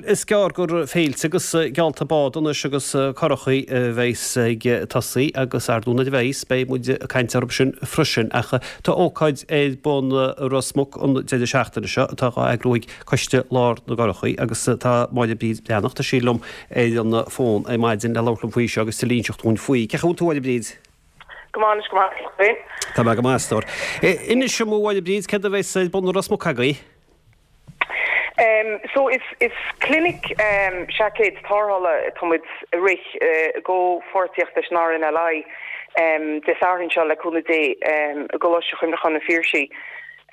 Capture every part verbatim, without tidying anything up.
Is gearr gur féilte agus geallta bád anois agus curachaí a bheas ag tosaí agus ar ndóigh nuair a bheas, beidh muid ag caint orthu sin freisin. Ach tá ócáid ar bun i Ros Muc an deireadh seachtaine seo atá á eagrú ag Coiste Lár na gCurachaí agus tá Máire Bríd Breathnach, tá sí liom ar an bhfón ar maidin le labhairt liom faoi seo agus tuilleadh a inseacht dúinn faoi. Cén chaoi a bhfuil tú, a Mháire Bríd? Go maith anois, go maith. Tá mé go maith, a stór. Inis dom, a Mháire Bríd, céard a bheas ar bun i Ros Muc agaibh? Um, so is, is clinic um, seaicéid tarrthála atá muid ag rith uh, i gcomhpháirtíocht leis an R N L I um, Dé Sathairn seo le cúnamh Dé um, i gColáiste Chuimhneacháin an Phiarsaigh.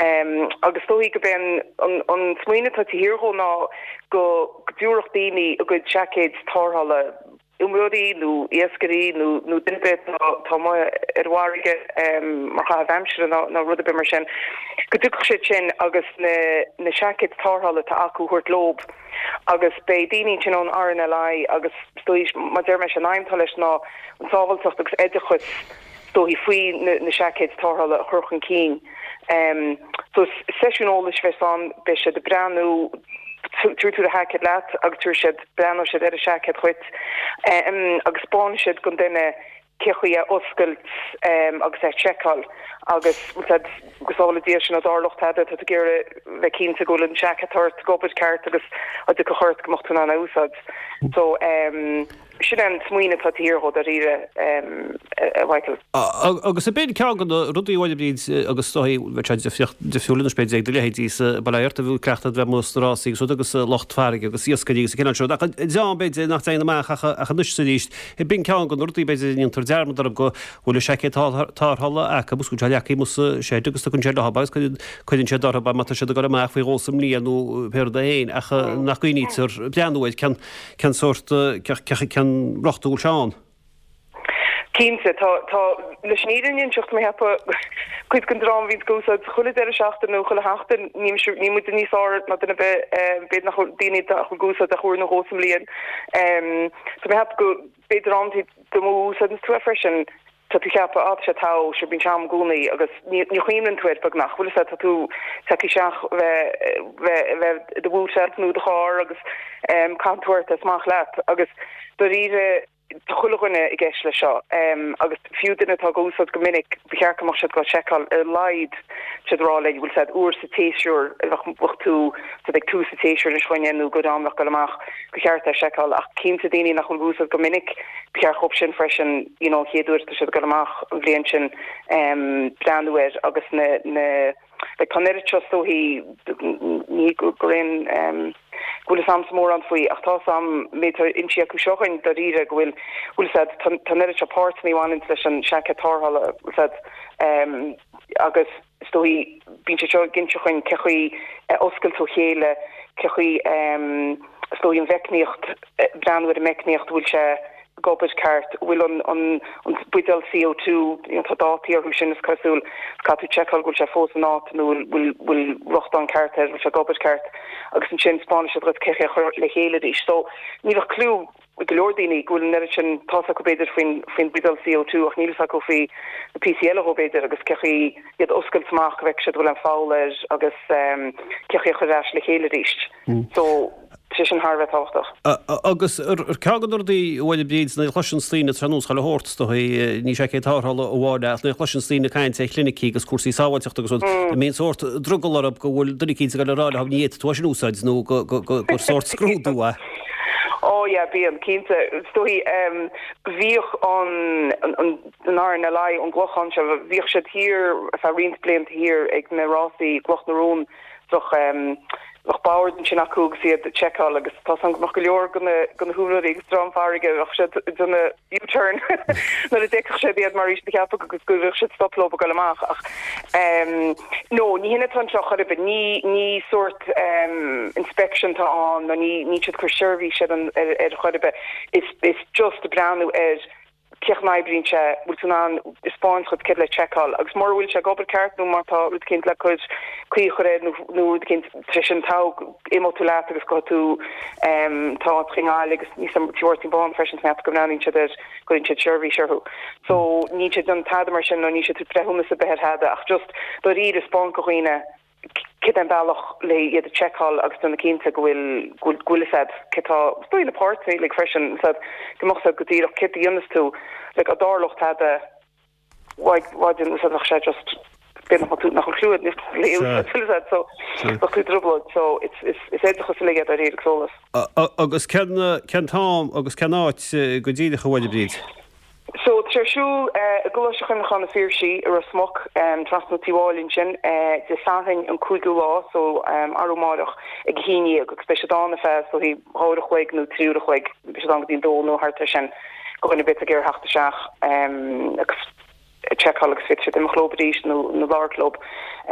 Um, agus dóigh go ben an, an smaoineamh atá thiar dhó ná go go dtabharfadh daoine a gcuid seaicéid tarrthála, iomaí nó iascairí nó nó duine atá ar an bhfarraige mar chaitheamh aimsire nó rud ar bith mar sin, go dtiocfadh siad sin agus na na seaicéid tarrthála atá acu a thabhairt leo agus beidh daoine sin ón R N L I agus mar deir mé an aidhm atá leis ná an sábháilteacht agus oideachas dóigh faoi na, na seaicéid tarrthála a chur chun cinn. Um, so seisiún eolais a bheas ann, beidh siad ag breathnú, tabharfaidh tú do sheaicéad leat agus tabharfaidh siad, breathnóidh siad ar an seaicéad dhuit um, agus spáinfidh siad don duine cén chaoi é oscailt um, agus é seiceáil agus go sábhála Dia sinn dá dtarlódh tada, tá tú ag iarraidh bheith cinnte go bhfuil an seaicéad ort ag obair ceart agus a do chort go mbeadh tú in ann a úsáid. So um, sin an smaoineamh atá thiar dhó dáiríre, um, a Mhichael. Agus b'in ceann de na rudaí a Bhríd agus dóigh difriúil anois b'fhéidir ag do leithéidí sa Bhaile a bhí cleachtadh bheith amuigh sna rásaí agus rud agus lucht farraige agus iascairí agus cineál seo ach dream b'fhéidir nach dtéann amach ach ach anois arís b'in ceann de na rudaí b'fhéidir a ndéantar dearmad orthu go bhfuil a seaicéad tarrthála acu agus go bhfuil sé leagtha amuigh sa shed agus tugann sé leo agus cuireann siad orthu má tá siad ag dul amach faoi dhó sa mbliain nó pé rud é féin ach nach gcuimhnítear breathnú air cén cén sórt cén riocht a bhfuil sé ann. Cinnte, tá tá leis an fhírinne a inseacht, mé ag ceapadh cuid den dream a bhíonn ag úsáid chuile deireadh seachtaine nó chuile sheachtain, ní ní muid níos fearr ná duine ar bith, b'fhéidir nach bhfuil daoine nach bhfuil ag úsáid ach uair nó dhó sa mbliain. Tá mé ag ceapadh go b'fhéidir amanta an mó a úsáideann tú é freisin, tá tú ag ceapadh, á tá sé togha, sure bíonn sé a'm i gcónaí agus ní ní chuimhníonn tú air beagnach, bhfuil a fhios agat, tá tú tagtha isteach bheith bheith bheith i do bhúitseáil nó i do charr agus caitheann tú ort é is amach leat agus dáiríre tá chuile dhuine i gceist leis seo agus fiú duine atá ag úsáid go minic, ba cheart go mbeadh siad ag seiceáil ar a laghad siad rá le bhfuil siad uair sa tséasúr bheadh bheadh tú siad ag tús an tséasúir anois chugainne nó go am bheadh dul amach go cheart é seiceáil ach cinnte daoine nach bhfuil ag úsáid go minic ba cheart dhóibh sin freisin you know an chéad uair atá siad ag dul amach an bhliain sin breathnú air agus na na like tá an oiread seo is dóichí ní go gur aon go bhfuil fhios a'msa mórán faoi ach tá fhios a'm méid atá inste acu seo dhuinn dáiríre go bhfuil bhfuil fhios a'd tá an oiread seo páirteanna a bhaineann leis an seaicéad tarrthála bhfuil fhios a'd agus is dóichí bíonn sé seo ag inse dhuinn cé chaoi a oscailt ó chéile cé chaoi is dóichí an mheicníocht breathnú ar an meicníocht bhfuil sé ag obair ceart, bhfuil an an an buidéal C O two, you know tá dátaí orthu sin is cosúil, caithfidh tú seiceáil go bhfuil sé fós in áit nó bhfuil bhfuil riochtán ceart air, bhfuil sé ag obair ceart agus ansin spáinfidh siad dhuit cé chaoi a chur le chéile arís. So ní bheadh clue ag go leor daoine go bhfuil an oiread sin, tá fhios acu b'fhéidir faoin faoin buidéal C O two ach níl fhios acu faoi na píosaí eile dhó b'fhéidir agus cé chaoi iad a oscailt amach go bhfeicfidh siad bhfuil an poll air agus um, cé chaoi a chur ar ais le chéile arís. So sé sin thar a bheith tábhachtach. Agus ar ceann de na rudaí a Mháire Bríd nuair a chloiseann daoine tá nós chuile shórt is dóigh, ní seaicéid tarrthála amháin ach nuair a chloiseann daoine caint ar chlinicí agus cúrsaí sábháilteachta agus rud, an mbíonn sórt drogall orthu go bhfuil duine eicínt ag dul a rá leo ní fhéadfaidh tú é sin a úsáid nó gur sórt scrúdú é. Ó yeah, bíonn, cinnte. Is dóigh bhíodh an an an R N L I ón gClochán seo, bhíodh siad thiar ar feadh roinnt blianta thiar ag na rásaí gCloch na Rón, bheadh bheadh bord ansin acu agus iad ag seiceáil agus tá fhios a'm go mbeadh go leor de na de na húinéirí agus dream farraige bheadh siad ag déanamh U-turn nuair a d'fheicfeadh siad iad mar bhí siad ag ceapadh agus go bhfuil siad stop leo ag dul amach ach um, no ní hin atá anseo chor ar bith, ní ní sórt um, inspection atá ann nó ní ní siad cur seirbhís ar an ar, ar chor ar bith is is just breathnú ar cé chaoi a n-oibríonn sé, bhfuil tú in ann spáint dhuit céard le seiceáil agus mura bhfuil sé ag obair ceart nó má tá rud eicínt le cur caoi a chur air nó nó rud eicínt tar éis sin togh imeoidh tú leat agus gabhfaidh tú tá i nGaillimh agus níos Tí Mháirtín Bán freisin san go mbreathnaíonn siad ar cuireann siad seirbhís orthu. So níl siad ag déanamh tada mar sin nó níl siad ag breithiúnas ar bith ar thada ach just dáiríre spáint do dhaoine Céard é an bealach le iad a tseiceáil agus déanamh cinnte go bhfuil go bhfuil fhios a'd cé tá is dóigh na páirtnéirí like freisin fhios a'd go mbeadh fhios a'd go díreach céard a dhéanas tú like dá dtarlódh tada why why didn't fhios a'd bheadh sé just b'fhéidir nach bhfuil nach bhfuil clue a'd níos fhios a'd so bheadh tú i dtrioblóid so it's it's is oideachas uilig é dáiríre agus eolas. Agus cén cén t-am agus cén áit go díreach a Mháire Bríd? So tá sé ar siúl i gColáiste Chuimhneacháin na Phiarsaigh i Ros Muc, trasna Tí Mháille ansin, Dé Sathairn an cúigiú lá, so arú amáireach ag a haon dhéag agus beidh siad ann ar feadh is dóichí dhá uair a chloig nó trí uair a chloig, beidh siad ann go dtí an dó nó thart ar sin, do dhuine ar bith atá ag iarraidh theacht isteach agus seiceáil agus féadfaidh siad imeacht leo arís nó nó labhairt leo.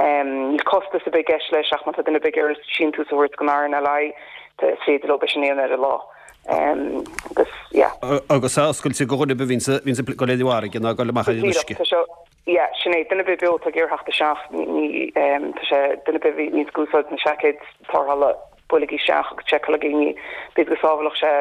Níl costas ar bith i gceist leis ach má tá duine ar bith ag iarraidh síntiús a thabhairt don RNLI, is féidir leo é sin a dhéanamh ar an lá. Agus yeah. Agus é oscailte do dhuine ar bith a bhíonns a bhíonns ag dul ar an bhfarraige ná ag dul amach ar an uisce. Tá seo yeah sin é duine ar bith beo atá ag iarraidh theacht isteach ní tá sé duine ar bith a bhíonns ag úsáid na seaicéid tarrthála buailigí isteach agus seiceálaigí ní b'fhéidir go sábhálfadh sé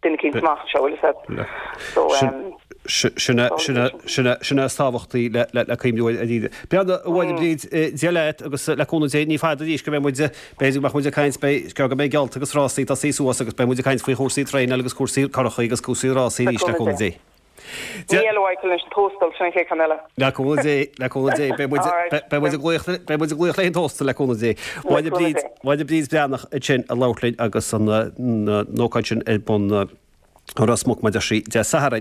duine eicínt amach anseo bhfuil fhios a'd. So um Sin é is tábhachtaí le cuimhniú air. Breathnaigh, a Mháire Bríd, Dia leat agus le cúnamh Dé, ní fada arís go mbeidh muid, b'fhéidir go mbeadh muid ag caint, beidh, go mbeidh geallta agus rásaí tosaithe suas agus beidh muid ag caint faoi chúrsaí traenáil agus cúrsaí curachaí agus cúrsaí rásaí arís le cúnamh Dé. Ní eile Mhichael anois an tóstal, sin an chéad cheann eile. Le cúnamh Dé, le cúnamh Dé, beidh muid, beidh muid ag glaoch, beidh muid ag glaoch le an tóstal le cúnamh Dé. Máire Bríd, Máire Bríd Breathnach ansin ag labhairt linn agus an ócáid sin ar bun i Ros Muc mar a deir sí Dé Sathairn.